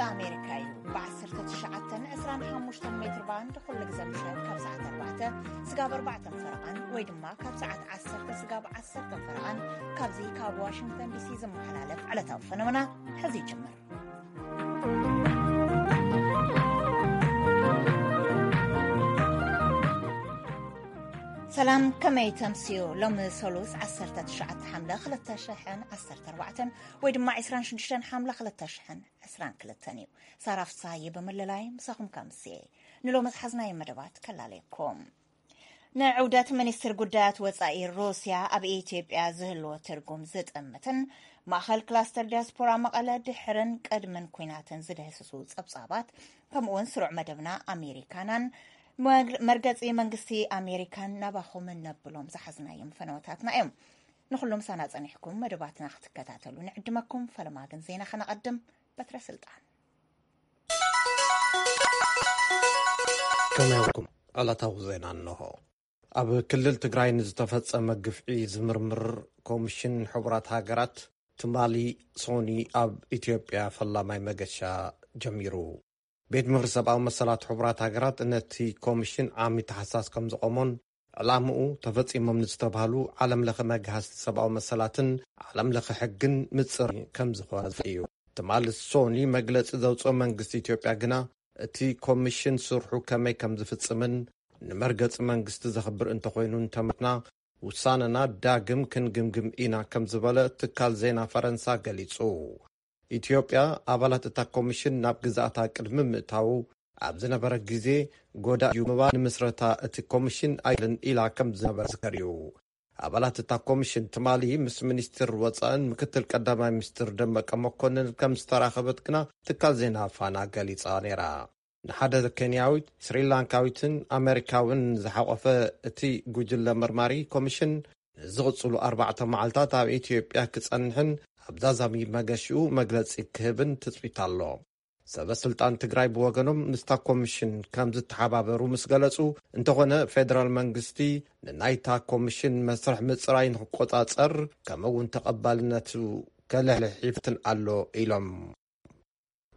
ኣሜሪካ እዩ። ብ1925 ሜትር ባንድ ኩሉ ግዜ ምሸት ካብ ሰዓት 4 ስጋብ 4 ፈረቓን ወይ ድማ ካብ ሰዓት 10 ስጋብ 10 ፈረቓን ካብዚ ካብ ዋሽንግተን ዲሲ ዝመሓላለፍ ዕለታዊ ፈነውና ሕዚ ይጅምር። ሰላም፣ ከመይ ተምስዩ? ሎሚ ሰሉስ 19 ሓምለ 2014 ወይ ድማ 26 ሓምለ 2022 እዩ። ሳራ ፍሳሃየ ብምልላይ ምሳኹም ከምስየ። ንሎሚ ዝሓዝናዮ መደባት ከላለየኩም። ንዕውደት ሚኒስትር ጉዳያት ወጻኢ ሩስያ ኣብ ኢትዮጵያ ዝህልዎ ትርጉም ዝጥምትን ማእኸል ክላስተር ዲያስፖራ መቐለ ድሕርን ቅድምን ኲናትን ዝድህስሱ ጸብጻባት፣ ከምኡውን ስሩዕ መደብና ኣሜሪካናን መግ-፣ መርገጺ መንግስቲ ኣሜሪካን ናባኹም ነብሎም ዝሓዝናዮም ፈነወታትና እዮም። ንኹሎም ሳና ጸኒሕኩም መደባትና ክትከታተሉ ንዕድመኩም። ፈለማ ግን ዜና ከነቐድም። በትረ ስልጣን። ከመይ ውዕልኩም? ዕለታዊ ዜና እንሆ። ኣብ ክልል ትግራይ ንዝተፈጸመ ግፍዒ ዝምርምር ኮሚሽን ሕቡራት ሃገራት ትማሊ ሶኒ ኣብ ኢትዮጵያ ፈላማይ መገሻ ጀሚሩ። ቤት ምኽሪ ሰብኣዊ መሰላት ሕቡራት ሃገራት ነቲ ኮሚሽን ዓሚ ታሕሳስ ከም ዝቖሞን ዕላምኡ ተፈጺሞም ንዝተባህሉ ዓለም ለኸ መግሃስቲ ሰብኣዊ መሰላትን ዓለም ለኸ ሕግን ምጽር ከም ዝኾነ እዩ። ትማሊ ሶኒ መግለጺ ዘውፅኦ መንግስቲ ኢትዮጵያ ግና እቲ ኮሚሽን ስርሑ ከመይ ከም ዝፍጽምን ንመርገጺ መንግስቲ ዘኽብር እንተኾይኑ እንተመትና ውሳነና ዳግም ክንግምግም ኢና ከም ዝበለ ትካል ዜና ፈረንሳ ገሊጹ። ኢትዮጵያ ኣባላት እታ ኮሚሽን ናብ ግዛኣታ ቅድሚ ምእታዉ ኣብ ዝነበረ ግዜ ጎዳ እዩ ምባል ንምስረታ እቲ ኮሚሽን ኣይልን ኢላ ከም ዝነበረ ዝከር እዩ። ኣባላት እታ ኮሚሽን ትማሊ ምስ ሚኒስትር ወፃእን ምክትል ቀዳማይ ሚኒስትር ደመቀ መኮንን ከም ዝተራኸበት ግና ትካል ዜና ፋና ገሊጻ ነይራ። ንሓደ ኬንያዊት፣ ስሪላንካዊትን ኣሜሪካውን ዝሓቆፈ እቲ ጉጅለ መርማሪ ኮሚሽን ንዝቕጽሉ ኣርባዕተ መዓልታት ኣብ ኢትዮጵያ ክጸንሕን ኣብ ዛዛሚ መገሽኡ መግለጺ ክህብን ትጽቢት ኣሎ። ሰበ ስልጣን ትግራይ ብወገኖም ምስታ ኮሚሽን ከም ዝተሓባበሩ ምስ ገለጹ፣ እንተኾነ ፌደራል መንግስቲ ንናይታ ኮሚሽን መስርሕ ምጽራይ ንክቆጻጸር ከምኡ እውን ተቐባልነቱ ከልሕልሕ ይፍትን ኣሎ ኢሎም።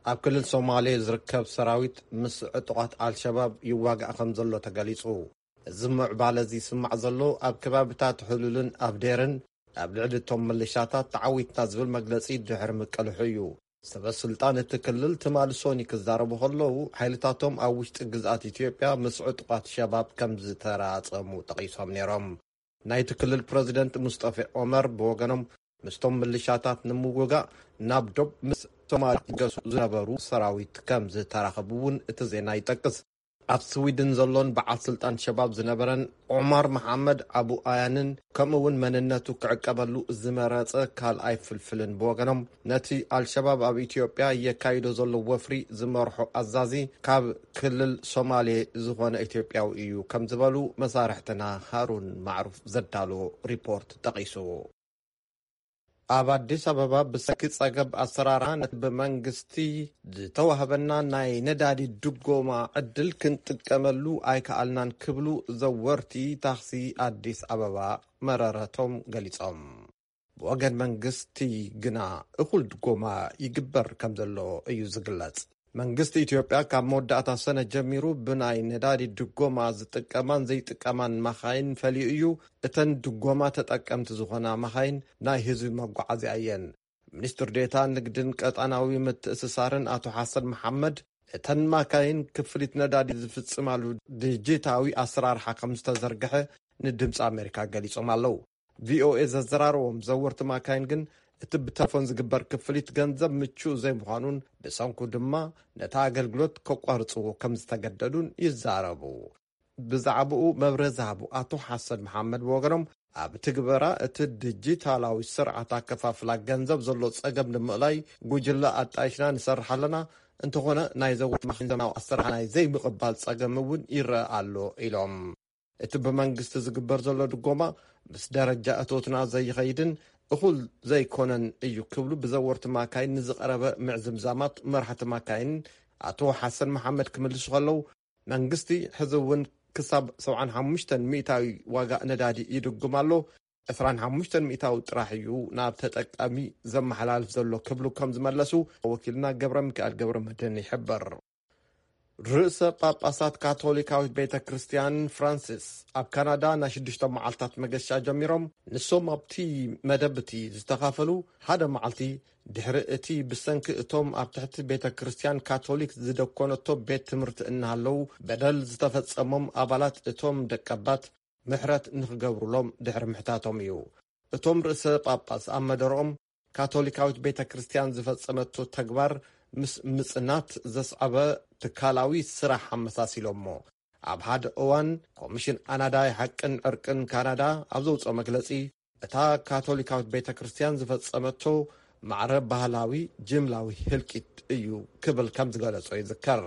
ኣብ ክልል ሶማሌ ዝርከብ ሰራዊት ምስ ዕጡቓት ኣልሸባብ ይዋጋእ ከም ዘሎ ተገሊጹ። እዚ ምዕባለ እዚ ይስማዕ ዘሎ ኣብ ከባቢታት ሕሉልን ኣብዴርን ኣብ ልዕሊ እቶም ምልሻታት ተዓዊትና ዝብል መግለጺ ድሕሪ ምቅልሑ እዩ። ሰበ ስልጣን እቲ ክልል ትማሊ ሶኒ ክዛረቡ ከለዉ፣ ሓይልታቶም ኣብ ውሽጢ ግዝኣት ኢትዮጵያ ምስ ዕጡቓት ሸባብ ከም ዝተራጸሙ ጠቒሶም ነይሮም። ናይቲ ክልል ፕረዚደንት ሙስጠፌ ኦመር ብወገኖም፣ ምስቶም ምልሻታት ንምውጋእ ናብ ዶብ ምስ ሶማል ይገሱ ዝነበሩ ሰራዊት ከም ዝተራኸቡ እውን እቲ ዜና ይጠቅስ። ኣብ ስዊድን ዘሎን በዓል ስልጣን ሸባብ ዝነበረን ዑማር መሓመድ ኣቡ ኣያንን፣ ከምኡ እውን መንነቱ ክዕቀበሉ ዝመረጸ ካልኣይ ፍልፍልን ብወገኖም፣ ነቲ ኣልሸባብ ኣብ ኢትዮጵያ የካይዶ ዘሎ ወፍሪ ዝመርሖ ኣዛዚ ካብ ክልል ሶማሌ ዝኾነ ኢትዮጵያዊ እዩ ከም ዝበሉ መሳርሕትና ሃሩን ማዕሩፍ ዘዳሎ ሪፖርት ጠቒሱ። ኣብ ኣዲስ ኣበባ ብሰንኪ ጸገብ ኣሰራርሓ ነቲ ብመንግስቲ ዝተዋህበና ናይ ነዳዲ ድጎማ ዕድል ክንጥቀመሉ ኣይከኣልናን ክብሉ ዘወርቲ ታክሲ ኣዲስ ኣበባ መረረቶም ገሊጾም። ብወገን መንግስቲ ግና እኹል ድጎማ ይግበር ከም ዘሎ እዩ ዝግለጽ። መንግስቲ ኢትዮጵያ ካብ መወዳእታ ሰነ ጀሚሩ ብናይ ነዳዲ ድጎማ ዝጥቀማን ዘይጥቀማን ማኻይን ፈሊዩ እዩ። እተን ድጎማ ተጠቀምቲ ዝኾና ማኻይን ናይ ህዝቢ መጓዓዝያ እየን። ሚኒስትር ዴታ ንግድን ቀጣናዊ ምትእስሳርን ኣቶ ሓሰን መሓመድ፣ እተን ማካይን ክፍሊት ነዳዲ ዝፍጽማሉ ዲጂታዊ ኣሰራርሓ ከም ዝተዘርግሐ ንድምፂ ኣሜሪካ ገሊጾም ኣለዉ። ቪኦኤ ዘዘራረቦም ዘወርቲ ማካይን ግን፣ እቲ ብተሌፎን ዝግበር ክፍሊት ገንዘብ ምቹእ ዘይምዃኑን ብሰንኩ ድማ ነቲ ኣገልግሎት ከቋርጽዎ ከም ዝተገደዱን ይዛረቡ። ብዛዕባኡ መብርሂ ዝሃቡ ኣቶ ሓሰን መሓመድ ብወገኖም፣ ኣብ ትግበራ እቲ ዲጂታላዊ ስርዓት ኣከፋፍላ ገንዘብ ዘሎ ጸገም ንምእላይ ጉጅለ ኣጣይሽና ንሰርሕ ኣለና፣ እንተኾነ ናይ ዘወርቲ ማኪን ዘመናዊ ኣሰራርሓ ናይ ዘይምቕባል ጸገም እውን ይረአ ኣሎ ኢሎም። እቲ ብመንግስቲ ዝግበር ዘሎ ድጎማ ምስ ደረጃ እቶትና ዘይኸይድን እኹል ዘይኮነን እዩ ክብሉ ብዘወርቲ ማካይን ንዝቐረበ ምዕዝምዛማት መራሕቲ ማካይን ኣቶ ሓሰን መሓመድ ክምልሱ ከለዉ፣ መንግስቲ ሕዚ እውን ክሳብ 75 ሚእታዊ ዋጋ ነዳዲ ይድጉም ኣሎ። ዕስራን ሓሙሽተን ሚእታዊ ጥራሕ እዩ ናብ ተጠቃሚ ዘመሓላልፍ ዘሎ ክብሉ ከም ዝመለሱ ወኪልና ገብረ ሚካኤል ገብረ መድህን ይሕብር። ርእሰ ጳጳሳት ካቶሊካዊት ቤተ ክርስቲያን ፍራንሲስ ኣብ ካናዳ ናይ ሽዱሽተ መዓልታት መገሻ ጀሚሮም፣ ንሶም ኣብቲ መደብ እቲ ዝተኻፈሉ ሓደ መዓልቲ ድሕሪ እቲ ብሰንኪ እቶም ኣብ ትሕቲ ቤተ ክርስቲያን ካቶሊክ ዝደኮነቶ ቤት ትምህርቲ እናሃለዉ በደል ዝተፈጸሞም ኣባላት እቶም ደቀባት ምሕረት ንኽገብሩሎም ድሕሪ ምሕታቶም እዩ። እቶም ርእሰ ጳጳስ ኣብ መደረኦም ካቶሊካዊት ቤተ ክርስቲያን ዝፈጸመቶ ተግባር ምስ ምጽናት ዘስዓበ ትካላዊ ስራሕ ኣመሳሲሎሞ። ኣብ ሓደ እዋን ኮሚሽን ኣናዳይ ሓቅን ዕርቅን ካናዳ ኣብ ዘውፅኦ መግለጺ እታ ካቶሊካዊት ቤተ ክርስቲያን ዝፈጸመቶ ማዕረ ባህላዊ ጅምላዊ ህልቂት እዩ ክብል ከም ዝገለጾ ይዝከር።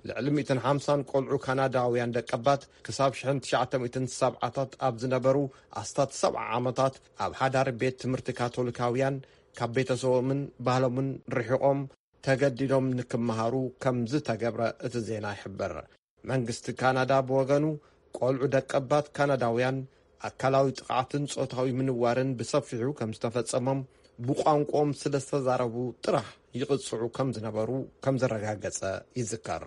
ልዕሊ ሚእትን ሓምሳን ቆልዑ ካናዳውያን ደቀባት ክሳብ ሽሕን ትሽዓተ ሚእትን ሰብዓታት ኣብ ዝነበሩ ኣስታት ሰብዓ ዓመታት ኣብ ሓዳሪ ቤት ትምህርቲ ካቶሊካውያን ካብ ቤተሰቦምን ባህሎምን ርሒቖም ተገዲዶም ንክመሃሩ ከም ዝተገብረ እቲ ዜና ይሕብር። መንግስቲ ካናዳ ብወገኑ ቆልዑ ደቀባት ካናዳውያን ኣካላዊ ጥቕዓትን ጾታዊ ምንዋርን ብሰፊሑ ከም ዝተፈጸሞም ብቋንቋኦም ስለ ዝተዛረቡ ጥራሕ ይቕጽዑ ከም ዝነበሩ ከም ዘረጋገጸ ይዝከር።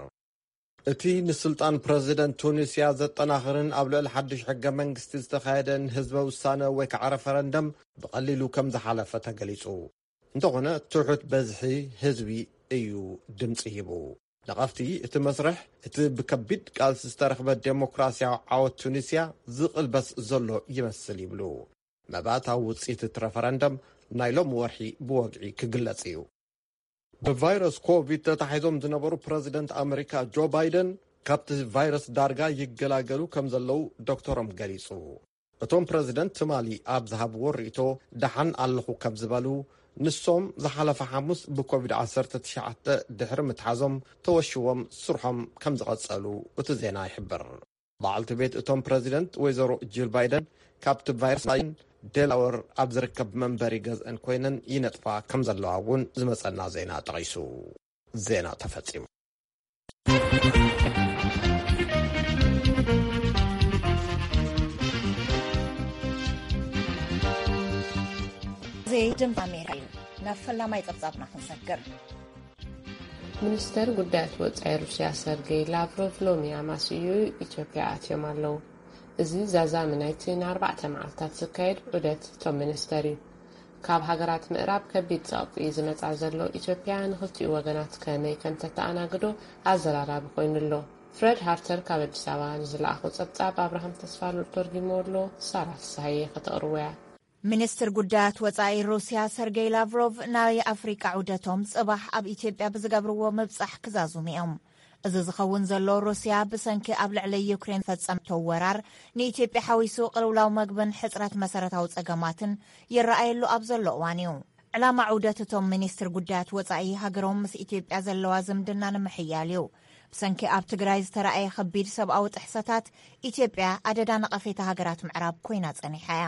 እቲ ንስልጣን ፕረዚደንት ቱኒስያ ዘጠናኽርን ኣብ ልዕሊ ሓድሽ ሕገ መንግስቲ ዝተኻየደ ንህዝበ ውሳነ ወይ ከዓ ረፈረንደም ብቐሊሉ ከም ዝሓለፈ ተገሊጹ። እንተኾነ ትሑት በዝሒ ህዝቢ እዩ ድምፂ ሂቡ። ነቐፍቲ እቲ መስርሕ እቲ ብከቢድ ቃልሲ ዝተረኽበ ዴሞክራሲያዊ ዓወት ቱኒስያ ዝቕልበስ ዘሎ ይመስል ይብሉ። መባእታዊ ውፅኢት እቲ ረፈረንደም ናይ ሎም ወርሒ ብወግዒ ክግለጽ እዩ። ብቫይረስ ኮቪድ ተታሒዞም ዝነበሩ ፕረዚደንት ኣመሪካ ጆ ባይደን ካብቲ ቫይረስ ዳርጋ ይገላገሉ ከም ዘለዉ ዶክተሮም ገሊጹ። እቶም ፕረዚደንት ትማሊ ኣብ ዝሃብዎ ርእይቶ ደሓን ኣለኹ ከም ዝበሉ፣ ንሶም ዝሓለፈ ሓሙስ ብኮቪድ ዓሰርተ ትሽዓተ ድሕሪ ምትሓዞም ተወሽዎም ስርሖም ከም ዝቐጸሉ እቲ ዜና ይሕብር። በዓልቲ ቤት እቶም ፕረዚደንት ወይዘሮ ጂል ባይደን ካብቲ ቫይረስ ናይን ዴላወር ኣብ ዝርከብ መንበሪ ገዝአን ኮይነን ይነጥፋ ከም ዘለዋ እውን ዝመጸና ዜና ጠቒሱ። ዜና ተፈጺሙ። እዚ ድምፂ ኣሜሪካ እዩ። ናብ ፈላማይ ፀብፃብና ክንሰግር። ሚኒስተር ጉዳያት ወጻኢ ሩስያ ሰርጌይ ላቭሮቭ ሎሚ ኣማስዩ ኢትዮጵያ ኣትዮም ኣለዉ። እዚ ዛዛሚ ናይቲ ንኣርባዕተ መዓልታት ዝካየድ ዑደት እቶም ሚኒስተር እዩ። ካብ ሃገራት ምዕራብ ከቢድ ጸቕጢ ዝመጻ ዘሎ ኢትዮጵያ ንኽልቲኡ ወገናት ከመይ ከም ተተኣናግዶ ኣዘራራቢ ኮይኑ ኣሎ። ፍረድ ሃርተር ካብ ኣዲስ ኣበባ ንዝለኣኾ ጸብጻብ ኣብርሃም ተስፋሉል ተርጊሞ ኣሎ። ሳራ ፍስሃየ ከተቕርቦ እያ። ሚኒስትር ጉዳያት ወጻኢ ሩስያ ሰርጌይ ላቭሮቭ ናይ ኣፍሪቃ ዑደቶም ጽባሕ ኣብ ኢትዮጵያ ብዝገብርዎ ምብጻሕ ክዛዝሙ እዮም። እዚ ዝኸውን ዘሎ ሩስያ ብሰንኪ ኣብ ልዕሊ ዩክሬን ፈጸምቶ ወራር ንኢትዮጵያ ሓዊሱ ቅልውላው መግብን ሕጽረት መሰረታዊ ጸገማትን ይረኣየሉ ኣብ ዘሎ እዋን እዩ። ዕላማ ዑደት እቶም ሚኒስትር ጉዳያት ወጻኢ ሃገሮም ምስ ኢትዮጵያ ዘለዋ ዝምድና ንምሕያል እዩ። ብሰንኪ ኣብ ትግራይ ዝተረኣየ ከቢድ ሰብኣዊ ጥሕሰታት ኢትዮጵያ ኣደዳ ነቐፌታ ሃገራት ምዕራብ ኮይና ጸኒሓ እያ።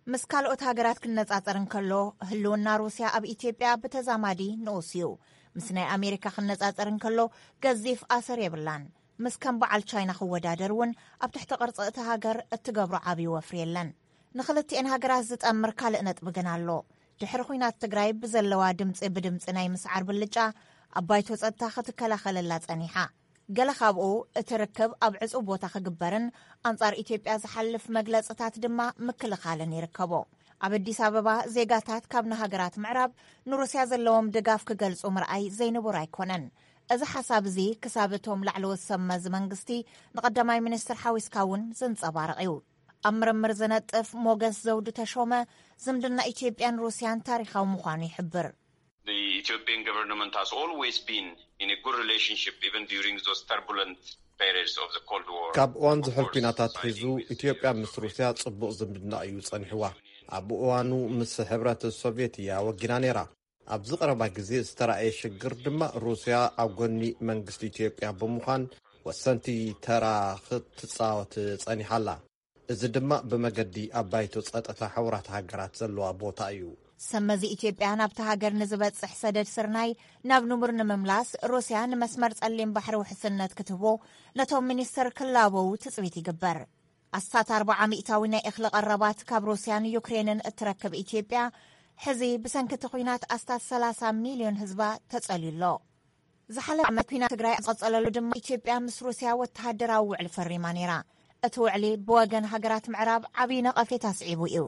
ምስ ካልኦት ሃገራት ክነጻጸር እንከሎ ህልውና ሩስያ ኣብ ኢትዮጵያ ብተዛማዲ ንኡስ እዩ። ምስ ናይ ኣሜሪካ ክነጻጸር እንከሎ ገዚፍ ኣሰር የብላን። ምስ ከም በዓል ቻይና ክወዳደር እውን ኣብ ትሕቲ ቅርጺ እቲ ሃገር እትገብሮ ዓብዪ ወፍሪ የለን። ንኽልቲኤን ሃገራት ዝጠምር ካልእ ነጥቢ ግን ኣሎ። ድሕሪ ኹናት ትግራይ ብዘለዋ ድምፂ ብድምፂ ናይ ምስዓር ብልጫ ኣብ ባይቶ ፀጥታ ክትከላኸለላ ፀኒሓ። ገለ ካብኡ እቲ ርክብ ኣብ ዕፁብ ቦታ ክግበርን ኣንፃር ኢትዮጵያ ዝሓልፍ መግለፅታት ድማ ምክልኻልን ይርከቦ። ኣብ ኣዲስ ኣበባ ዜጋታት ካብ ንሃገራት ምዕራብ ንሩስያ ዘለዎም ድጋፍ ክገልፁ ምርኣይ ዘይንቡር ኣይኮነን። እዚ ሓሳብ እዚ ክሳብ እቶም ላዕለዎት ሰብ መዚ መንግስቲ ንቀዳማይ ሚኒስትር ሓዊስካ እውን ዘንፀባርቕ እዩ። ኣብ ምርምር ዝነጥፍ ሞገስ ዘውዱ ተሾመ ዝምድና ኢትዮጵያን ሩስያን ታሪኻዊ ምዃኑ ይሕብር። The Ethiopian government has always been in a good relationship even during those turbulent periods of the Cold War. ካብ እዋን ዝሑል ኲናት ኣትሒዙ ኢትዮጵያ ምስ ሩስያ ጽቡቕ ዝምድና እዩ ጸኒሕዋ። ኣብ እዋኑ ምስ ሕብረት ሶቭየት እያ ወጊና ነይራ። ኣብዚ ቀረባ ግዜ ዝተራእየ ሽግር ድማ ሩስያ ኣብ ጎኒ መንግስቲ ኢትዮጵያ ብምዃን ወሰንቲ ተራ ክትጻወት ጸኒሓ ኣላ። እዚ ድማ ብመገዲ ኣብ ባይቶ ጸጥታ ሕቡራት ሃገራት ዘለዋ ቦታ እዩ። ሰብ መዚ ኢትዮጵያ ናብቲ ሃገር ንዝበጽሕ ሰደድ ስርናይ ናብ ንቡር ንምምላስ ሩስያ ንመስመር ጸሊም ባሕሪ ውሕስነት ክትህቦ ነቶም ሚኒስተር ክላበዉ ትጽቢት ይግበር። ኣስታት ኣርባዓ ሚእታዊ ናይ እኽሊ ቀረባት ካብ ሩስያን ዩክሬንን እትረክብ ኢትዮጵያ፣ ሕዚ ብሰንኪ እቲ ኲናት ኣስታት ሰላሳ ሚልዮን ህዝባ ተጸልዩ ኣሎ። ዝሓለፈ ዓመት ኲናት ትግራይ ኣብ ዝቐጸለሉ ድማ፣ ኢትዮጵያ ምስ ሩስያ ወተሃደራዊ ውዕል ፈሪማ ነይራ። እቲ ውዕሊ ብወገን ሃገራት ምዕራብ ዓብዪ ነቐፌታ ስዒቡ እዩ።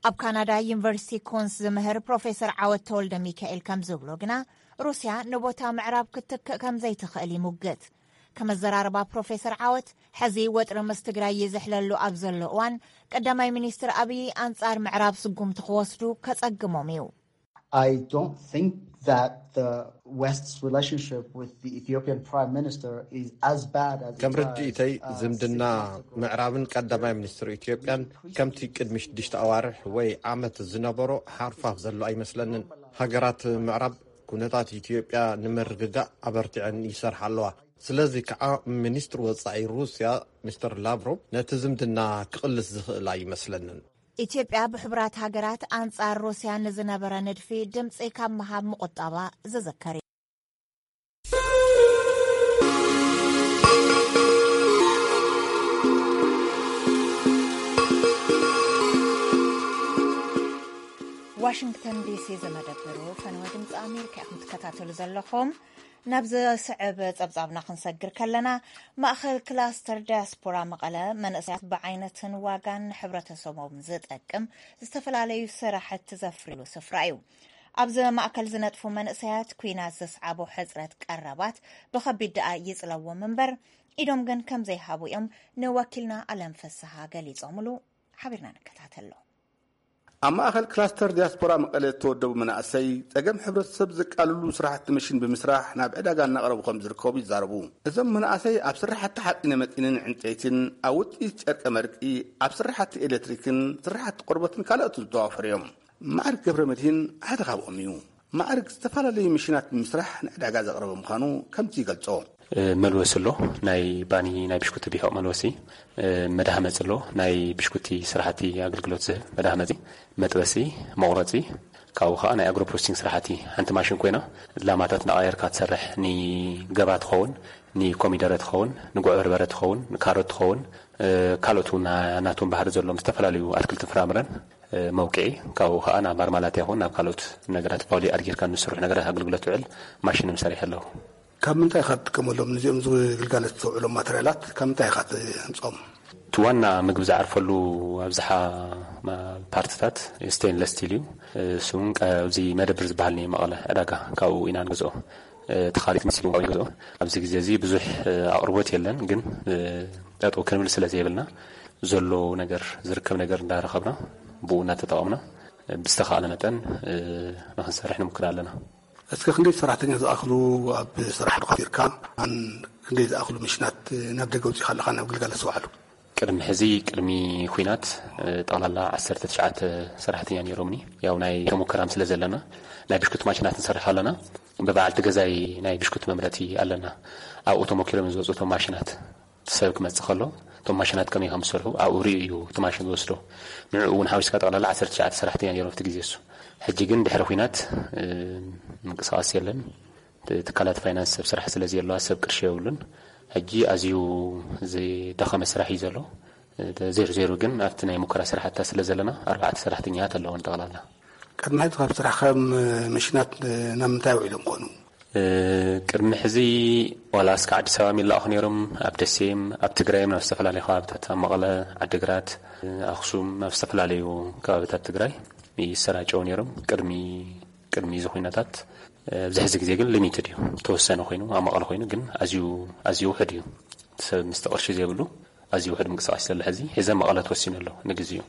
ኣብ ካናዳ ዩኒቨርሲቲ ኮንስ ዝምህር ፕሮፌሰር ዓወት ተወልደ ሚካኤል ከም ዝብሎ ግና፣ ሩስያ ንቦታ ምዕራብ ክትክእ ከም ዘይትኽእል ይሙግት። ከመዘራርባ ፕሮፌሰር ዓወት፣ ሕዚ ወጥሪ ምስ ትግራይ ይዝሕለሉ ኣብ ዘሎ እዋን፣ ቀዳማይ ሚኒስትር ኣብይ ኣንጻር ምዕራብ ስጉምቲ ክወስዱ ከጸግሞም እዩ። I don't think that the West's relationship with the Ethiopian Prime Minister is as bad as it ከም was, ርድኢተይ፣ uh, ዝምድና six months ago. ምዕራብን ቀዳማይ ሚኒስትር ኢትዮጵያን ከምቲ ቅድሚ ሽዱሽተ ኣዋርሕ ወይ ዓመት ዝነበሮ ሓርፋፍ ዘሎ ኣይመስለንን። ሃገራት ምዕራብ ኩነታት ኢትዮጵያ ንምርግጋእ ኣበርቲዐን ይሰርሓ ኣለዋ። ስለዚ ከዓ ሚኒስትር ወጻኢ ሩስያ ሚስተር ላቭሮቭ ነቲ ዝምድና ክቕልስ ዝኽእል ኣይመስለንን። ኢትዮጵያ ብሕቡራት ሃገራት ኣንጻር ሩስያ ንዝነበረ ንድፊ ድምጺ ካብ ምሃብ ምቑጠባ ዝዝከር እዩ። ዋሽንግተን ዲሲ ዝመደብሩ ፈነወ ድምፂ ኣሜሪካ ኢኹም ትከታተሉ ዘለኹም። ናብ ዝስዕብ ጸብጻብና ክንሰግር ከለና፣ ማእኸል ክላስተር ዳያስፖራ መቐለ መንእሰያት ብዓይነትን ዋጋን ንሕብረተሰቦም ዝጠቅም ዝተፈላለዩ ስራሕቲ ዘፍርሉ ስፍራ እዩ። ኣብዚ ማእከል ዝነጥፉ መንእሰያት፣ ኲናት ዘስዓቦ ሕጽረት ቀረባት ብኸቢድ ደኣ ይጽለዎም እምበር፣ ኢዶም ግን ከም ዘይሃቡ እዮም ንወኪልና ኣለም ፍስሃ ገሊጾምሉ። ሓቢርና ንከታተሎ። ኣብ ማእኸል ክላስተር ዲያስፖራ መቐለ እተወደቡ መናእሰይ፣ ጸገም ሕብረተሰብ ዘቃልሉ ስራሕቲ መሽን ብምስራሕ ናብ ዕዳጋ እናቕረቡ ከም ዝርከቡ ይዛረቡ። እዞም መናእሰይ ኣብ ስራሕቲ ሓፂነ መፂንን ዕንፀይትን፣ ኣብ ውፅኢት ጨርቀ መርቂ፣ ኣብ ስራሕቲ ኤሌክትሪክን ስራሕቲ ቆርበትን ካልኦትን ዝተዋፈሩ እዮም። ማዕርግ ገብረ መድህን ሓደ ካብኦም እዩ። ማዕርግ ዝተፈላለዩ መሽናት ብምስራሕ ንዕዳጋ ዘቕረበ ምዃኑ ከምዚ ይገልጾ። እ፣ መልወሲ ኣሎ፣ ናይ ባኒ ናይ ብሽኩቲ ቢሖቕ መልወሲ። እ፣ መድሃመፂ ኣሎ፣ ናይ ብሽኩቲ ስራሕቲ ኣገልግሎት ዝህብ መድሃመፂ፣ መጥበሲ፣ መቑረፂ። ካብኡ ከዓ ናይ ኣግሮ ፕሮሰሲንግ ስራሕቲ፣ ሓንቲ ማሽን ኮይና ላማታት እናቐየርካ ትሰርሕ፣ ንገባ ትኸውን፣ ንኮሚደረ ትኸውን፣ ንጉዕ በርበረ ትኸውን፣ ንካሮት ትኸውን፣ እ፣ ካልኦት እውን ናቶም ባህሪ ዘለዎም ዝተፈላለዩ ኣትክልትን ፍራምረን፣ እ፣ መውቅዒ። ካብኡ ከዓ ናብ ማርማላታ ይኹን ናብ ካልኦት ነገራት ቫልዩ ኣድ ጌርካ ንስርሑ ነገራት ኣገልግሎት ትውዕል ማሽን ሰሪሐ ኣለኹ። ካብ ምንታይ ኢኻ ትጥቀመሎም? ነዚኦም ግልጋሎት ተውዕሎም ማተርያላት ካብ ምንታይ ኢኻ ትምፅኦም? እቲ ዋና ምግቢ ዝዓርፈሉ ኣብዝሓ ማ-፣ ፓርትታት ስቴንለስ ስቲል እዩ። እሱ እውን ቀ-፣ ኣብዚ መደብር ዝበሃል ናይ መቐለ ዕዳጋ፣ ካብኡ ኢና ንገዝኦ። እቲ ካልእ መሲሉ ካብኡ ንገዝኦ። ኣብዚ ግዜ እዚ ብዙሕ ኣቕርቦት የለን፣ ግን ጠጠው ክንብል ስለ ዘይብልና፣ ዘሎ ነገር፣ ዝርከብ ነገር እንዳረኸብና፣ ብኡ እናተጠቐምና ብዝተኻእለ መጠን ንኽንሰርሕ ንምክር ኣለና። እስከ ክንደይ ሰራሕተኛ ዝኣኽሉ ኣብ ስራሕ ዶ ከፊርካ? ኣን ክንደይ ዝኣኽሉ መሽናት ናብ ደገ ኣውጺእካ ኣለኻ ናብ ግልጋሎት ዝውዓሉ? ቅድሚ ሕዚ፣ ቅድሚ ኹናት፣ ጠቕላላ ዓሰርተ ትሽዓተ ሰራሕተኛ ነይሮምኒ። ያው ናይ ተሞከራም ስለ ዘለና፣ ናይ ብሽኩቲ ማሽናት ንሰርሕ ኣለና። ብበዓልቲ ገዛይ ናይ ብሽኩቲ መምረቲ ኣለና። ኣብኡ ተሞኪሮም ዝወፁ እቶም ማሽናት። እቲ ሰብ ክመጽእ ከሎ፣ እቶም ማሽናት ከመይ ከም ዝሰርሑ ኣብኡ ርእዩ እዩ እቲ ማሽን ዝወስዶ። ንዕኡ እውን ሓዊስካ ጠቕላላ ዓሰርተ ትሽዓተ ሰራሕተኛ ነይሮም ኣብቲ ግዜ እሱ። ሕጂ ግን ድሕሪ ኹናት፣ እ፣ ምንቅስቓስ የለን። ት-፣ ትካላት ፋይናንስ ሰብ ስራሕ ስለ ዘየለዋ ሰብ ቅርሺ የብሉን። ሕጂ ኣዝዩ ዝደኸመ ስራሕ እዩ ዘሎ። እ፣ ዜሮ ዜሮ ግን ኣብቲ ናይ ሙከራ ስራሕታ ስለ ዘለና ኣርባዕተ ሰራሕተኛታት ኣለውን ጠቕላላ። ቅድሚ ሕዚ ካብ ስራሕ ከም መሽናት ናብ ምንታይ ውዒሎም ኮኑ? እ፣ ቅድሚ ሕዚ ዋላ እስከ ዓዲስ ኣበባ ይለኣኹ ነይሮም፣ ኣብ ደሴም፣ ኣብ ትግራይም፣ ናብ ዝተፈላለዩ ከባብታት፣ ኣብ መቐለ፣ ዓዲግራት፣ ኣኽሱም፣ ኣብ ዝተፈላለዩ ከባብታት ትግራይ ይሰራጨው ነይሮም። ቅድሚ፣ ቅድሚ እዚ ኩነታት፣ እ፣ ኣብዚ ሕዚ ግዜ ግን ሊሚትድ እዩ። ተወሰነ ኮይኑ፣ ኣብ መቐለ ኮይኑ ግን ኣዝዩ፣ ኣዝዩ ውሑድ እዩ። ሰብ ምስቲ ቅርሺ ዘይብሉ ኣዝዩ ውሑድ ምንቅስቃስ ዘሎ ሕዚ። ሕዚ መቐለ ተወሲኑ ኣሎ ንግዚኡ።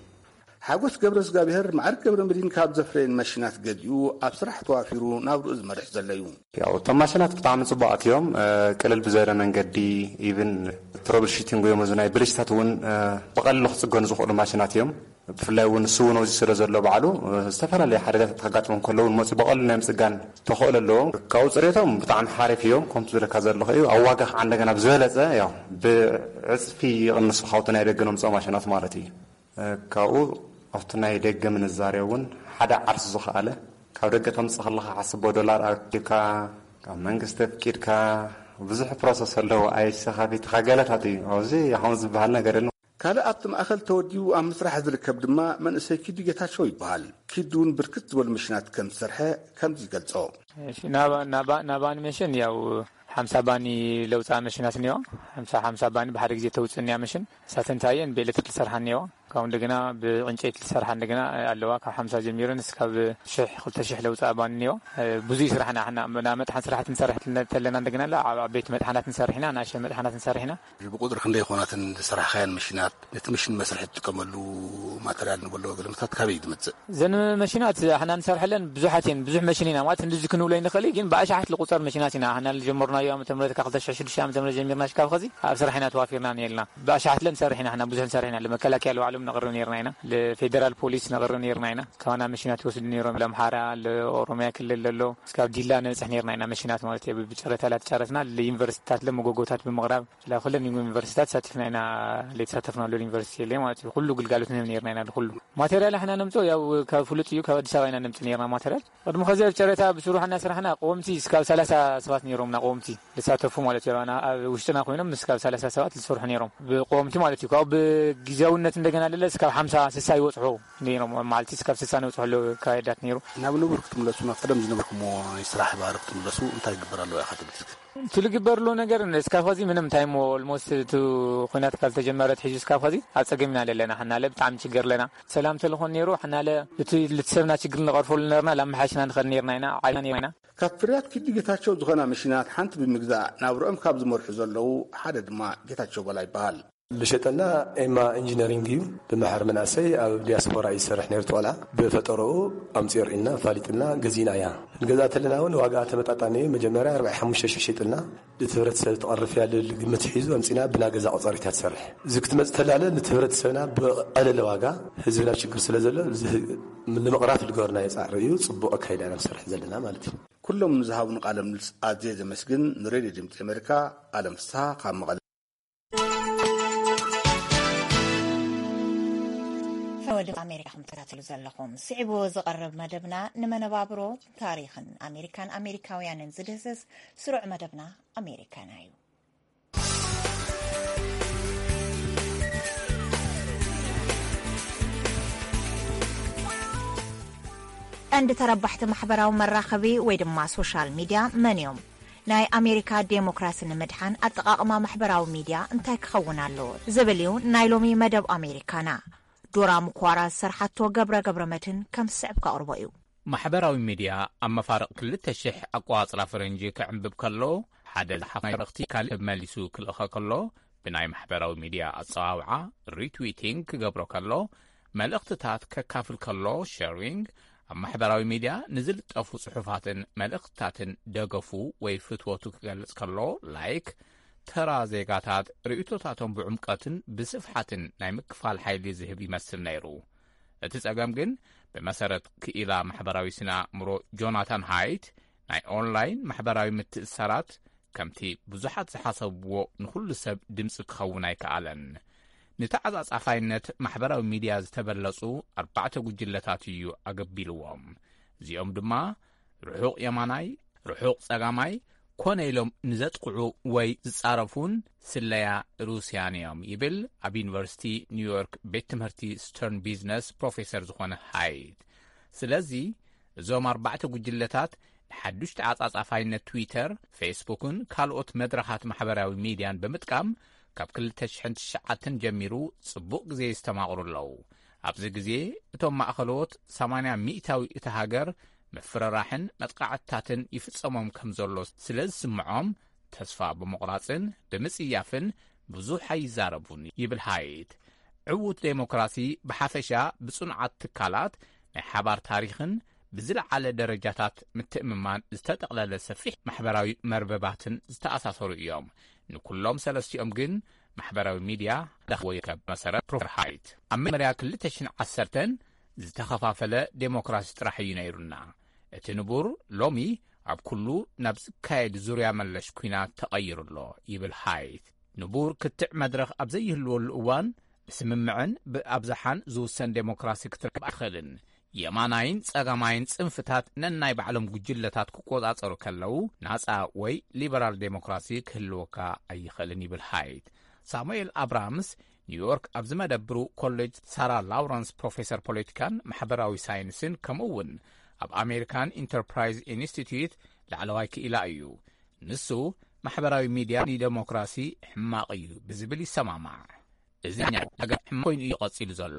ሓጎስ ገብረ እግዚኣብሔር፣ ማዕርግ ገብረ መድህን ካብ ዘፍረየን ማሽናት ገዚኡ ኣብ ስራሕ ተዋፊሩ ናብርኡ ዝመርሕ ዘሎ እዩ። ያው እቶም ማሽናት ብጣዕሚ ጽቡቓት እዮም። እ፣ ቅልል ብዝበለ መንገዲ፣ ኢቭን ትረብል ሹቲንግ እዮም፣ እዚ ናይ ብልሽታት እውን፣ እ፣ ብቐሊሉ ክጽገኑ ዝኽእሉ ማሽናት እዮም። ብፍላይ እውን ንሱ እውን ኣብዚ ስለ ዘሎ ባዕሉ፣ እ፣ ዝተፈላለዩ ሓደጋታት ከጋጥሞም ከለዉ እውን መፂኡ ብቐሊሉ ናይ ምጽጋን ተኽእሎ ኣለዎም። ካብኡ ጽሬቶም ብጣዕሚ ሓሪፍ እዮም። ከምቲ ዝብለካ ዘለኹ እዩ። ኣብ ዋጋ ከዓ እንደገና ብዝበለጸ ያው ብዕጽፊ ይቕንሱ ካብቲ ናይ ደገ ነምፅኦ ማሽናት ማለት እዩ። ካብኡ ኣብቲ ናይ ደገ ምንዛሬ እውን ሓደ ዓርሱ ዝኸኣለ፣ ካብ ደገ ተምጽእ ከለኻ ሓስቦ ዶላር ኣኪብካ፣ ካብ መንግስቲ ኣፍቂድካ፣ ብዙሕ ፕሮሰስ ኣለዎ። ኣይሲ ከፊትካ ገለታት እዩ። ኣብዚ ኣሁን ዝበሃል ነገር የለን። ካልእ ኣብቲ ማእኸል ተወዲቡ ኣብ ምስራሕ ዝርከብ ድማ መንእሰይ ኪዱ ጌታቸው ይበሃል። ኪዱ እውን ብርክት ዝበሉ መሽናት ከም ዝሰርሐ ከምዚ ይገልጾ። እሺ፣ ናብ ናብ ናብ ኣኒሜሽን ያው ሓምሳ ባኒ ለውፃ መሽናት እኒዋ። ሓምሳ ሓምሳ ባኒ ብሓደ ግዜ ተውፅእ እኒያ መሽን። እሳተን ታየን ብኤሌክትሪክ ዝሰርሓ እኒዋ። ካብኡ እንደገና ብዕንጨይቲ ዝሰርሓ እንደገና ኣለዋ። ካብ ሓምሳ ጀሚረን እስካብ ሽሕ ክልተ ሽሕ ለውፃ ባኒ እኒዋ። ብዙይ ስራሕና ሕና ናብ መጥሓን ስራሕቲ ንሰርሕ ተለና እንደገና ኣብ ዓበይቲ መጥሓናት ንሰርሕ ኢና፣ ናሸ መጥሓናት ንሰርሕ ኢና። ብቁፅሪ ክንደይ ይኾናትን ዝሰራሕካየን መሽናት፣ ነቲ መሽን መስርሒ ትጥቀመሉ ማተርያል ንበሎ ገለመታት ካበይ ትመፅእ? ዘን መሽናት ሕና ንሰርሐለን ብዙሓት እየን። ብዙሕ መሽን ኢና ማለት እንደዚ ክንብሎ ይንኽእል እዩ፣ ግን ብኣሽሓት ልቁፀር መሽናት ኢና ሕና ልጀመርናዮ። ዓመተ ምህረት ካብ ክልተ ሽሕ ሽዱሽተ ዓመተ ምህረት ጀሚርና ሽካብ ኸዚ ኣብ ስራሕ ኢና ተዋፊርና ነየልና። ብኣሽሓት ለን ሰርሕ ኢና ሕና ብዙሕ ንሰርሕ ኢና። ለመከላከያ ለባዕሎም ነቕርብ ነርና ኢና። ለፌደራል ፖሊስ ነቕርብ ነርና ኢና። ካባና መሽናት ይወስዱ ነይሮም። ለምሓራ ለኦሮሚያ ክልል ለሎ እስካብ ዲላ ነብፅሕ ነርና ኢና መሽናት ማለት እዩ። ብጨረታ ላተጫረትና ለዩኒቨርሲቲታት ለመጎጎታት ብምቕራብ ላ ኩለን ዩኒቨርሲታት ሳቲፍና ኢና። ለተሳተፍናሉ ዩኒቨርሲቲ የለ ማለት እዩ። ኩሉ ግልጋሎት ንህብ ነርና ኢና። ኩሉ ማቴሪያል ሕና ነምፅኦ ያው ካብ ፍሉጥ እዩ። ካብ ኣዲስ ኣበባ ኢና ነምፅ ነርና ማቴሪያል። ቅድሚ ከዚ ኣብ ጨረታ ብስሩሕ እናስራሕና ቀወምቲ እስካብ ሰላሳ ሰባት ነይሮምና። ቀወምቲ ዝሳተፉ ማለት እዩ። ኣና ኣብ ውሽጥና ኮይኖም እስካብ ሰላሳ ሰባት ዝሰርሑ ነይሮም ብቀወምቲ ማለት እዩ። ካብኡ ብግዜያውነት እንደገና ለለ እስካብ ሓምሳ ስሳ ይወፅሑ ነይሮም። ኣብ መዓልቲ እስካብ ስሳ ነውፅሑ ኣለዉ ካየዳት ነይሩ። ናብ ንቡር ክትምለሱ፣ ናብ ቀደም ዝነበርኩሞ ናይ ስራሕ ባህሪ ክትምለሱ እንታይ ይግበር ኣለዎ ኢኻ ትብል እስኪ? እቲ ዝግበር ኣሎ ነገር እስካብ ኸዚ ምንም እንታይ እሞ ኦልሞስት እቲ ኩናት ካብ ዝተጀመረ ትሒዙ እስካብ ኸዚ ኣብ ፀገም ኢና ለለና። ሕናለ ብጣዕሚ ችግር ኣለና። ሰላም ተልኾን ነይሩ ሕናለ እቲ ልትሰብና ችግር ንቐርፈሉ ነርና ላመሓሽና ንኸድ ነርና ኢና። ዓይና ነርና ኢና። ካብ ፍርያት ኪዱ ጌታቸው ዝኾና መሽናት ሓንቲ ብምግዛእ ናብርኦም ካብ ዝመርሑ ዘለዉ ሓደ ድማ ጌታቸው በላ ይበሃል። ልሸጠልና ኤማ ኢንጂነሪንግ እዩ። ብመሓር መናእሰይ ኣብ ዲያስፖራ እዩ ዝሰርሕ ነይሩ። ቆልዓ ብፈጠረኡ ኣምፅኦ ርኢልና ፋሊጥልና ገዚእና እያ። ንገዛ ተለና እውን ዋጋ ተመጣጣኒ እዩ። መጀመርያ ኣርባዕተ ሓሙሽተ ሽሕ ሸጥልና። እቲ ህብረተሰብ ትቐርፍ እያ ልብል ግምት ሒዙ ኣምፂና ብና ገዛ ቆፀሪት እያ ትሰርሕ። እዚ ክትመፅ ተላለ ነቲ ህብረተሰብና ብቐለለ ዋጋ ህዝብና ችግር ስለ ዘሎ እዚ ንምቕራፍ ልገበርናዮ ፃዕሪ እዩ። ፅቡቕ ኣካይዳ ኢና ንሰርሕ ዘለና ማለት እዩ። ኩሎም ንዝሃቡኒ ቃለ ምልልስ ኣዝየ ዘመስግን። ንሬድዮ ድምፂ ኣሜሪካ ኣለም ፍስሃ ካብ መቐለ። ወደ ኣሜሪካ ከም ትከታተሉ ዘለኹም ስዒቡ ዝቐርብ መደብና ንመነባብሮ ታሪኽን ኣሜሪካን ኣሜሪካውያንን ዝድህስስ ስሩዕ መደብና ኣሜሪካና እዩ። ቀንዲ ተረባሕቲ ማሕበራዊ መራኸቢ ወይ ድማ ሶሻል ሚድያ መን እዮም? ናይ ኣሜሪካ ዴሞክራሲ ንምድሓን ኣጠቓቕማ ማሕበራዊ ሚድያ እንታይ ክኸውን ኣለዎ? ዝብል እዩ ናይ ሎሚ መደብ ኣሜሪካና። ዶራ ምኳራ ዝሰርሓቶ ገብረ ገብረ መድህን ከም ዝስዕብ ከቕርቦ እዩ። ማሕበራዊ ሚድያ ኣብ መፋርቕ ክልተ ሽሕ ኣቋጽራ ፈረንጂ ክዕንብብ ከሎ ሓደ ዝሓፍ ናይ መልእኽቲ ካልእ መሊሱ ክልእኸ ከሎ ብናይ ማሕበራዊ ሚድያ ኣጸዋውዓ ሪትዊቲንግ ክገብሮ ከሎ መልእኽትታት ከካፍል ከሎ ሸሪንግ ኣብ ማሕበራዊ ሚድያ ንዝልጠፉ ጽሑፋትን መልእኽትታትን ደገፉ ወይ ፍትወቱ ክገልጽ ከሎ ላይክ ተራ ዜጋታት ርእይቶታቶም ብዕምቀትን ብስፍሓትን ናይ ምክፋል ሓይሊ ዝህብ ይመስል ነይሩ። እቲ ጸገም ግን ብመሰረት ክኢላ ማሕበራዊ ስነ ኣእምሮ ጆናታን ሃይት ናይ ኦንላይን ማሕበራዊ ምትእስሳራት ከምቲ ብዙሓት ዝሓሰብዎ ንኹሉ ሰብ ድምጺ ክኸውን ኣይከኣለን። ንተዓጻጻፋይነት ማሕበራዊ ሚድያ ዝተበለጹ ኣርባዕተ ጉጅለታት እዩ ኣገቢልዎም። እዚኦም ድማ ርሑቕ የማናይ፣ ርሑቕ ጸጋማይ ኮነ ኢሎም ንዘጥቕዑ ወይ ዝጻረፉን ስለያ ሩስያን እዮም ይብል ኣብ ዩኒቨርሲቲ ኒውዮርክ ቤት ትምህርቲ ስተርን ቢዝነስ ፕሮፌሰር ዝኾነ ሃይት። ስለዚ እዞም ኣርባዕተ ጉጅለታት ንሓዱሽ ተዓጻጻፋይነት ትዊተር፣ ፌስቡክን ካልኦት መድረኻት ማሕበራዊ ሚድያን ብምጥቃም ካብ ክልተ ሽሕን ትሽዓተን ጀሚሩ ጽቡቕ ግዜ ይስተማቕሩ ኣለዉ። ኣብዚ ግዜ እቶም ማእኸሎት ሰማንያ ሚእታዊ እታ ሃገር ምፍርራሕን መጥቃዕትታትን ይፍጸሞም ከም ዘሎ ስለ ዝስምዖም ተስፋ ብምቑራጽን ብምጽያፍን ብዙሕ ኣይዛረቡን ይብል ሃይት። ዕዉት ዴሞክራሲ ብሓፈሻ ብጽኑዓት ትካላት ናይ ሓባር ታሪኽን ብዝለዓለ ደረጃታት ምትእምማን ዝተጠቕለለ ሰፊሕ ማሕበራዊ መርበባትን ዝተኣሳሰሩ እዮም። ንኩሎም ሰለስቲኦም ግን ማሕበራዊ ሚድያ ደኽዎ ይርከብ። መሰረት ፕሮፌሰር ሃይት ኣብ መጀመርያ ክልተ ሽሕን ዓሰርተን ዝተኸፋፈለ ዴሞክራሲ ጥራሕ እዩ ነይሩና። እቲ ንቡር ሎሚ ኣብ ኩሉ ናብ ዝካየድ ዙርያ መለሽ ኲናት ተቐይሩ ኣሎ ይብል ሃይት። ንቡር ክትዕ መድረኽ ኣብ ዘይህልወሉ እዋን ብስምምዕን ብኣብዝሓን ዝውሰን ዴሞክራሲ ክትረክብ ኣይትኽእልን። የማናይን ጸጋማይን ጽንፍታት ነናይ ባዕሎም ጉጅለታት ክቆጻጸሩ ከለዉ ናጻ ወይ ሊበራል ዴሞክራሲ ክህልወካ ኣይኽእልን ይብል ሃይት። ሳሙኤል ኣብራምስ ኒውዮርክ ኣብ ዝመደብሩ ኮሌጅ ሳራ ላውረንስ ፕሮፌሰር ፖለቲካን ማሕበራዊ ሳይንስን ከምኡ እውን ኣብ ኣሜሪካን ኢንተርፕራይዝ ኢንስቲትዩት ላዕለዋይ ክኢላ እዩ። ንሱ ማሕበራዊ ሚድያ ንደሞክራሲ ሕማቕ እዩ ብዝብል ይሰማማዕ። እዚ ነገር ሕማቕ ኮይኑ እዩ ቀጺሉ ዘሎ።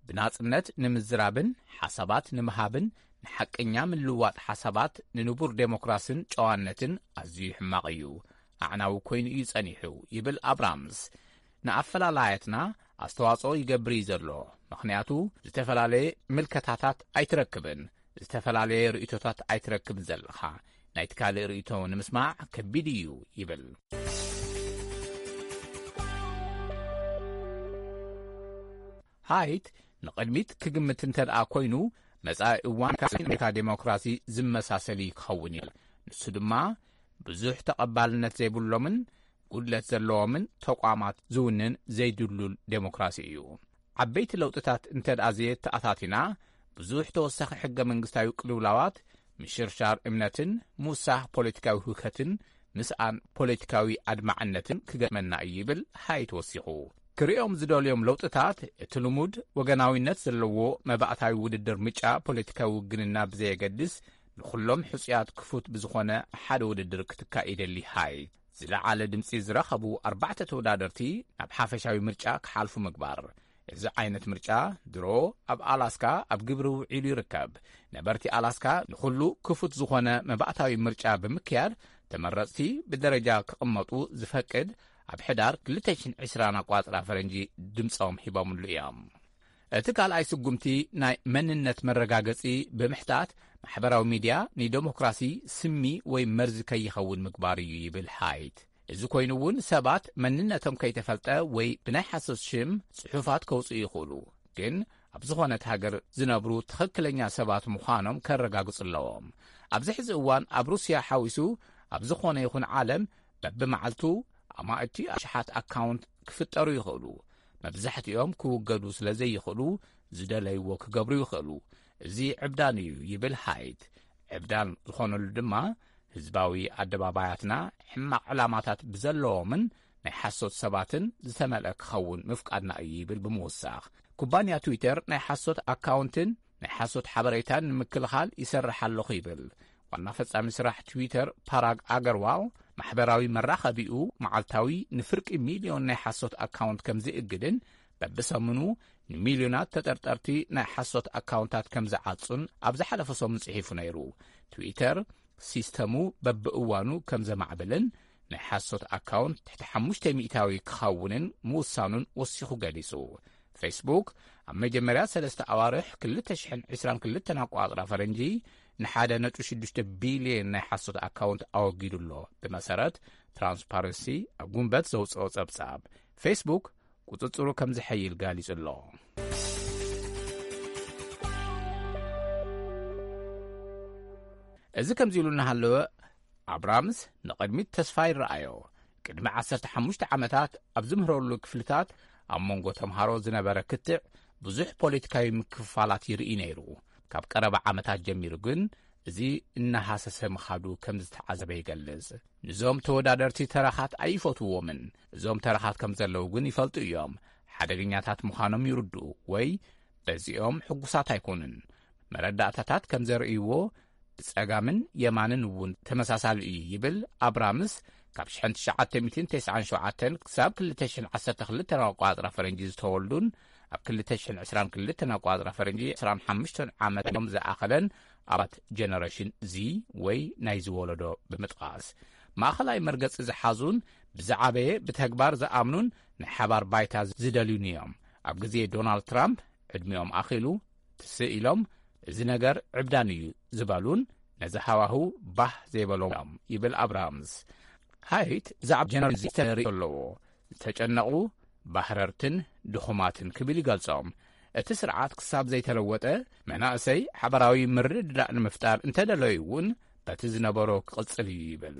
ብናጽነት ንምዝራብን ሓሳባት ንምሃብን ንሓቀኛ ምልዋጥ ሓሳባት ንንቡር ዴሞክራስን ጨዋነትን ኣዝዩ ሕማቕ እዩ። ኣዕናዊ ኮይኑ እዩ ጸኒሑ ይብል ኣብራምስ። ንኣፈላላያትና ኣስተዋጽኦ ይገብር እዩ ዘሎ። ምኽንያቱ ዝተፈላለየ ምልከታታት ኣይትረክብን፣ ዝተፈላለየ ርእይቶታት ኣይትረክብን ዘለኻ። ናይቲ ካልእ ርእይቶ ንምስማዕ ከቢድ እዩ ይብል። ሃይት ንቕድሚት ክግምት እንተ ደኣ ኮይኑ መጻኢ እዋን ካብ ኣሜሪካ ዴሞክራሲ ዝመሳሰል እዩ ክኸውን ይብል። ንሱ ድማ ብዙሕ ተቐባልነት ዘይብሎምን ጉድለት ዘለዎምን ተቋማት ዝውንን ዘይድሉል ዴሞክራሲ እዩ። ዓበይቲ ለውጥታት እንተ ደኣ ዘየተኣታቲና ብዙሕ ተወሳኺ ሕገ መንግስታዊ ቅልውላዋት፣ ምሽርሻር እምነትን ምውሳኽ ፖለቲካዊ ህውከትን ምስኣን ፖለቲካዊ ኣድማዕነትን ክገጥመና እዩ ይብል ሃይት ወሲኹ። ክርእዮም ዝደልዮም ለውጥታት እቲ ልሙድ ወገናዊነት ዘለዎ መባእታዊ ውድድር ምጫ ፖለቲካዊ ውግንና ብዘየገድስ ንኹሎም ሕጹያት ክፉት ብዝኾነ ሓደ ውድድር ክትካእ ይደሊ ሃይት። ዝለዓለ ድምጺ ዝረኸቡ ኣርባዕተ ተወዳደርቲ ናብ ሓፈሻዊ ምርጫ ክሓልፉ ምግባር። እዚ ዓይነት ምርጫ ድሮ ኣብ ኣላስካ ኣብ ግብሪ ውዒሉ ይርከብ። ነበርቲ ኣላስካ ንኹሉ ክፉት ዝኾነ መባእታዊ ምርጫ ብምክያድ ተመረጽቲ ብደረጃ ክቕመጡ ዝፈቅድ ኣብ ሕዳር ክልተ ሽሕን ዕስራን ኣቋጽራ ፈረንጂ ድምጾም ሂቦምሉ እዮም። እቲ ካልኣይ ስጉምቲ ናይ መንነት መረጋገጺ ብምሕታት ማሕበራዊ ሚድያ ንደሞክራሲ ስሚ ወይ መርዚ ከይኸውን ምግባር እዩ ይብል ሃይት። እዚ ኮይኑ እውን ሰባት መንነቶም ከይተፈልጠ ወይ ብናይ ሓሶት ሽም ጽሑፋት ከውጽኡ ይኽእሉ። ግን ኣብ ዝኾነት ሃገር ዝነብሩ ትኽክለኛ ሰባት ምዃኖም ከረጋግጹ ኣለዎም። ኣብዚ ሕዚ እዋን ኣብ ሩስያ ሓዊሱ ኣብ ዝኾነ ይኹን ዓለም በብመዓልቱ ኣማእቲ ኣሽሓት ኣካውንት ክፍጠሩ ይኽእሉ። መብዛሕትኦም ክውገዱ ስለ ዘይኽእሉ ዝደለይዎ ክገብሩ ይኽእሉ። እዚ ዕብዳን እዩ ይብል ሃይት። ዕብዳን ዝኾነሉ ድማ ህዝባዊ ኣደባባያትና ሕማቕ ዕላማታት ብዘለዎምን ናይ ሓሶት ሰባትን ዝተመልአ ክኸውን ምፍቃድና እዩ ይብል ብምውሳኽ፣ ኩባንያ ትዊተር ናይ ሓሶት ኣካውንትን ናይ ሓሶት ሓበሬታን ንምክልኻል ይሰርሕ ኣለኹ ይብል። ዋና ፈጻሚ ስራሕ ትዊተር ፓራግ ኣገርዋል ማሕበራዊ መራኸቢኡ መዓልታዊ ንፍርቂ ሚልዮን ናይ ሓሶት ኣካውንት ከም ዝእግድን በብሰሙኑ ንሚልዮናት ተጠርጠርቲ ናይ ሓሶት ኣካውንታት ከም ዝዓጹን ኣብ ዝሓለፈ ሰሙን ጽሒፉ ነይሩ። ትዊተር ሲስተሙ በብእዋኑ ከም ዘማዕብልን ናይ ሓሶት ኣካውንት ትሕቲ ሓሙሽተ ሚእታዊ ክኸውንን ምውሳኑን ወሲኹ ገሊጹ። ፌስቡክ ኣብ መጀመርያ ሰለስተ ኣዋርሕ ክልተ ሽሕን ዕስራን ክልተን ኣቋጽራ ፈረንጂ ንሓደ ነጥቢ ሽዱሽተ ቢልዮን ናይ ሓሶት ኣካውንት ኣወጊዱ ኣሎ። ብመሰረት ትራንስፓረንሲ ኣብ ጉንበት ዘውፅኦ ጸብጻብ፣ ፌስቡክ ቁጽጽሩ ከም ዝሐይል ጋሊጹ ኣሎ። እዚ ከምዚ ኢሉ እናሃለወ ኣብራምስ ንቕድሚት ተስፋ ይረኣዮ። ቅድሚ ዓሰርተ ሓሙሽተ ዓመታት ኣብ ዝምህረሉ ክፍልታት ኣብ መንጎ ተምሃሮ ዝነበረ ክትዕ ብዙሕ ፖለቲካዊ ምክፍፋላት ይርኢ ነይሩ። ካብ ቀረባ ዓመታት ጀሚሩ ግን እዚ እናሃሰሰ ምኻዱ ከም ዝተዓዘበ ይገልጽ። ንዞም ተወዳደርቲ ተረኻት ኣይፈትውዎምን። እዞም ተረኻት ከም ዘለዉ ግን ይፈልጡ እዮም። ሓደገኛታት ምዃኖም ይርድኡ ወይ በዚኦም ሕጉሳት ኣይኮኑን። መረዳእታታት ከም ዘርእይዎ ብጸጋምን የማንን እውን ተመሳሳሊ እዩ ይብል ኣብራምስ። ካብ ሽሕን ትሽዓተ ሚእትን ተስዓን ሸውዓተን ክሳብ ክልተ ሽሕን ዓሰርተ ክልተን ኣቋጽራ ፈረንጂ ዝተወልዱን ኣብ ክልተ ሽሕን ዕስራን ክልተን ኣቋጽራ ፈረንጂ ዕስራን ሓሙሽተን ዓመቶም ዝኣኸለን ኣባት ጀነሬሽን ዚ ወይ ናይዚ ወለዶ ብምጥቓስ፣ ማእኸላይ መርገጺ ዝሓዙን ብዝዓበየ ብተግባር ዝኣምኑን ናይ ሓባር ባይታ ዝደልዩን እዮም። ኣብ ግዜ ዶናልድ ትራምፕ ዕድሚኦም ኣኺሉ ትስእ ኢሎም እዚ ነገር ዕብዳን እዩ ዝበሉን ነዚ ሃዋህው ባህ ዘይበሎም እዮም ይብል ኣብራምስ። ሃይት ብዛዕባ ጀነራል ዚ ተርኢ ኣለዎ። ዝተጨነቑ ባህረርትን ድኹማትን ክብል ይገልጾም። እቲ ስርዓት ክሳብ ዘይተለወጠ መናእሰይ ሓበራዊ ምርድዳእ ንምፍጣር እንተደለዩ እውን በቲ ዝነበሮ ክቕጽል እዩ ይብል።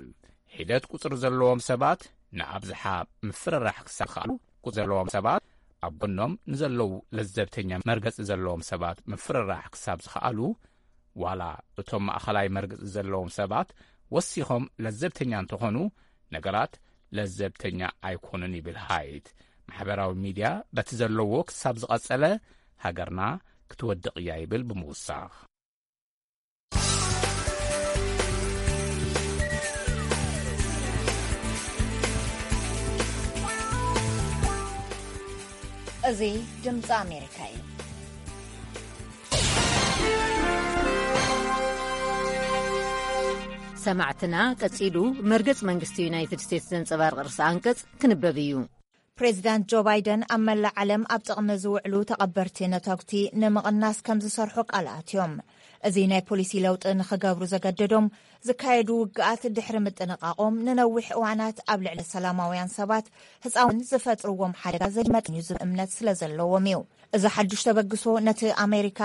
ሒደት ቁጽሪ ዘለዎም ሰባት ንኣብዝሓ ምፍርራሕ ክሳብ ዝኸኣሉ፣ ቁጽሪ ዘለዎም ሰባት ኣብ ጎኖም ንዘለዉ ለዘብተኛ መርገጺ ዘለዎም ሰባት ምፍርራሕ ክሳብ ዝኸኣሉ፣ ዋላ እቶም ማእኸላይ መርገጺ ዘለዎም ሰባት ወሲኾም ለዘብተኛ እንተኾኑ፣ ነገራት ለዘብተኛ ኣይኮኑን ይብል ሃይት። ማሕበራዊ ሚድያ በቲ ዘለዎ ክሳብ ዝቐጸለ፣ ሃገርና ክትወድቕ እያ ይብል ብምውሳኽ። እዚ ድምፂ ኣሜሪካ እዩ። ሰማዕትና፣ ቀጺሉ መርገጽ መንግስቲ ዩናይትድ ስቴትስ ዘንጸባርቕ ርእሰ ኣንቀጽ ክንበብ እዩ። ፕሬዚዳንት ጆ ባይደን ኣብ መላእ ዓለም ኣብ ጥቕሚ ዝውዕሉ ተቐበርቲ ነተጉቲ ንምቕናስ ከም ዝሰርሑ ቃል ኣትዮም። እዚ ናይ ፖሊሲ ለውጢ ንኽገብሩ ዘገደዶም ዝካየዱ ውግኣት ድሕሪ ምጥንቓቖም ንነዊሕ እዋናት ኣብ ልዕሊ ሰላማውያን ሰባት ህፃውን ዝፈጥርዎም ሓደጋ ዘይመጠን እዩ ዝብል እምነት ስለ ዘለዎም እዩ። እዚ ሓዱሽ ተበግሶ ነቲ ኣሜሪካ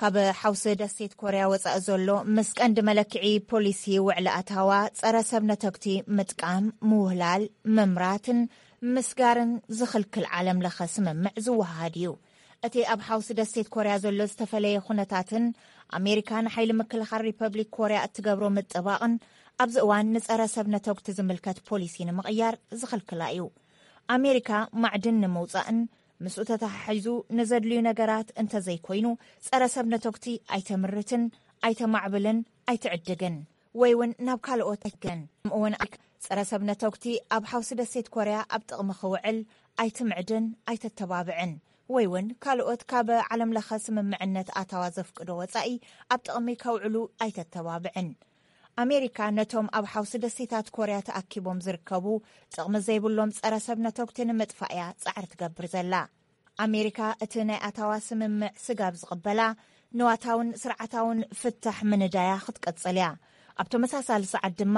ካብ ሓውሲ ደሴት ኮርያ ወፃኢ ዘሎ ምስ ቀንዲ መለክዒ ፖሊሲ ውዕሊ ኣታዋ ጸረ ሰብ ነተጉቲ ምጥቃም፣ ምውህላል፣ ምምራትን ምስጋርን ዝኽልክል ዓለም ለኸ ስምምዕ ዝወሃሃድ እዩ። እቲ ኣብ ሓውሲ ደሴት ኮርያ ዘሎ ዝተፈለየ ኩነታትን ኣሜሪካ ንሓይሊ ምክልኻል ሪፐብሊክ ኮርያ እትገብሮ ምጥባቕን ኣብዚ እዋን ንጸረ ሰብ ነተጉቲ ዝምልከት ፖሊሲ ንምቕያር ዝኽልክላ እዩ። ኣሜሪካ ማዕድን ንምውጻእን ምስኡ ተተሓሒዙ ንዘድልዩ ነገራት እንተዘይኮይኑ ጸረ ሰብ ነተጉቲ ኣይተምርትን፣ ኣይተማዕብልን፣ ኣይትዕድግን ወይ እውን ናብ ካልኦት ኣይትግን። ከምኡ እውን ኣሜሪካ ጸረ ሰብ ነተጉቲ ኣብ ሓውሲ ደሴት ኮርያ ኣብ ጥቕሚ ክውዕል ኣይትምዕድን፣ ኣይተተባብዕን ወይ እውን ካልኦት ካብ ዓለም ለኸ ስምምዕነት ኣታዋ ዘፍቅዶ ወጻኢ ኣብ ጥቕሚ ከውዕሉ ኣይተተባብዕን። ኣሜሪካ ነቶም ኣብ ሓውሲ ደሴታት ኮርያ ተኣኪቦም ዝርከቡ ጥቕሚ ዘይብሎም ጸረ ሰብ ነተጉቲ ንምጥፋእ እያ ጻዕሪ ትገብር ዘላ። ኣሜሪካ እቲ ናይ ኣታዋ ስምምዕ ስጋብ ዝቕበላ ንዋታውን ስርዓታውን ፍታሕ ምንዳያ ክትቀጽል እያ። ኣብ ተመሳሳሊ ሰዓት ድማ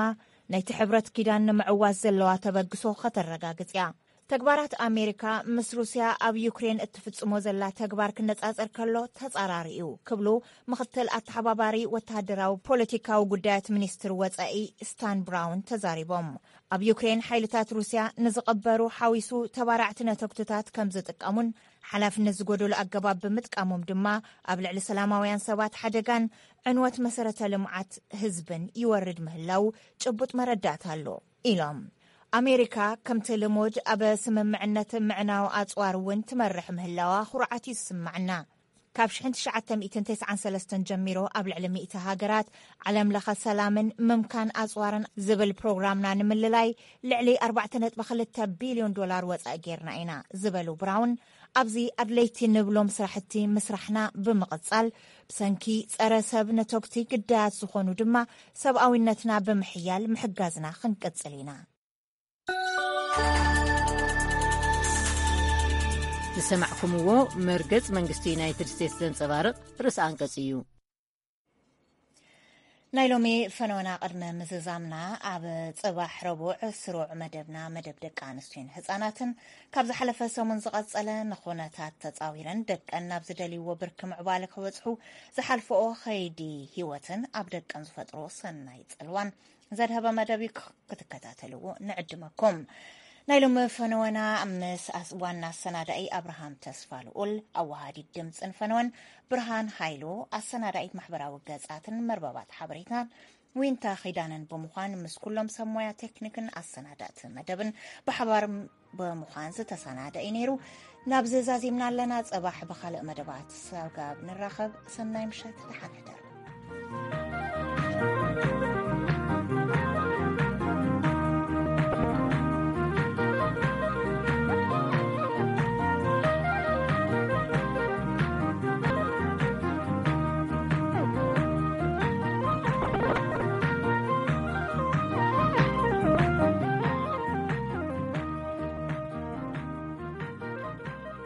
ናይቲ ሕብረት ኪዳን ንምዕዋት ዘለዋ ተበግሶ ከተረጋግጽ እያ። ተግባራት ኣሜሪካ ምስ ሩስያ ኣብ ዩክሬን እትፍጽሞ ዘላ ተግባር ክነጻጸር ከሎ ተጻራሪ እዩ ክብሉ ምኽትል ኣተሓባባሪ ወተሃደራዊ ፖለቲካዊ ጉዳያት ሚኒስትር ወጻኢ ስታን ብራውን ተዛሪቦም። ኣብ ዩክሬን ሓይልታት ሩስያ ንዝቐበሩ ሓዊሱ ተባራዕቲ ነተጉትታት ከም ዝጥቀሙን ሓላፍነት ዝጎደሉ ኣገባብ ብምጥቃሞም ድማ ኣብ ልዕሊ ሰላማውያን ሰባት ሓደጋን ዕንወት መሰረተ ልምዓት ህዝብን ይወርድ ምህላው ጭቡጥ መረዳእታ ኣሎ ኢሎም። ኣሜሪካ ከምቲ ልሙድ ኣብ ስምምዕነት ምዕናው ኣጽዋር እውን ትመርሕ ምህላዋ ኩርዓት እዩ ዝስማዕና። ካብ ሽሕን ትሽዓተ ሚእትን ተስዓን ሰለስተን ጀሚሮ ኣብ ልዕሊ ሚእቲ ሃገራት ዓለም ለኸ ሰላምን ምምካን ኣጽዋርን ዝብል ፕሮግራምና ንምልላይ ልዕሊ ኣርባዕተ ነጥቢ ክልተ ቢልዮን ዶላር ወጻኢ ጌርና ኢና ዝበሉ ብራውን፣ ኣብዚ ኣድለይቲ ንብሎም ስራሕቲ ምስራሕና ብምቕጻል ብሰንኪ ጸረ ሰብ ነተጉቲ ግዳያት ዝኾኑ ድማ ሰብኣዊነትና ብምሕያል ምሕጋዝና ክንቅጽል ኢና። ዝሰማዕኩምዎ መርገጽ መንግስቲ ዩናይትድ ስቴትስ ዘንጸባርቕ ርእሰ ኣንቀጽ እዩ። ናይ ሎሚ ፈነወና ቅድሚ ምዝዛምና ኣብ ጽባሕ ረቡዕ ስሩዕ መደብና መደብ ደቂ ኣንስትዮን ህጻናትን ካብ ዝሓለፈ ሰሙን ዝቐጸለ ንኹነታት ተጻዊረን ደቀን ናብ ዝደልይዎ ብርኪ ምዕባለ ክበጽሑ ዝሓልፈኦ ኸይዲ ህይወትን ኣብ ደቀን ዝፈጥሮ ሰናይ ጽልዋን ዘድሀበ መደብ እዩ። ክትከታተልዎ ንዕድመኩም። ናይ ሎሚ ፈነወና ምስ ኣስ- ዋና ኣሰናዳኢ ኣብርሃም ተስፋ ልኡል፣ ኣወሃዲት ድምፅን ፈነወን ብርሃን ሃይሉ፣ ኣሰናዳኢት ማሕበራዊ ገጻትን መርበባት ሓበሬታን ዊንታ ኺዳነን ብምዃን ምስ ኩሎም ሰብ ሞያ ቴክኒክን ኣሰናዳእቲ መደብን ብሓባር ብምዃን ዝተሰናደ እዩ ነይሩ። ናብዚ ዛዚምና ኣለና። ጽባሕ ብኻልእ መደባት ሰጋብ ንራኸብ። ሰናይ ምሸት፣ ደሓን ሕደሩ።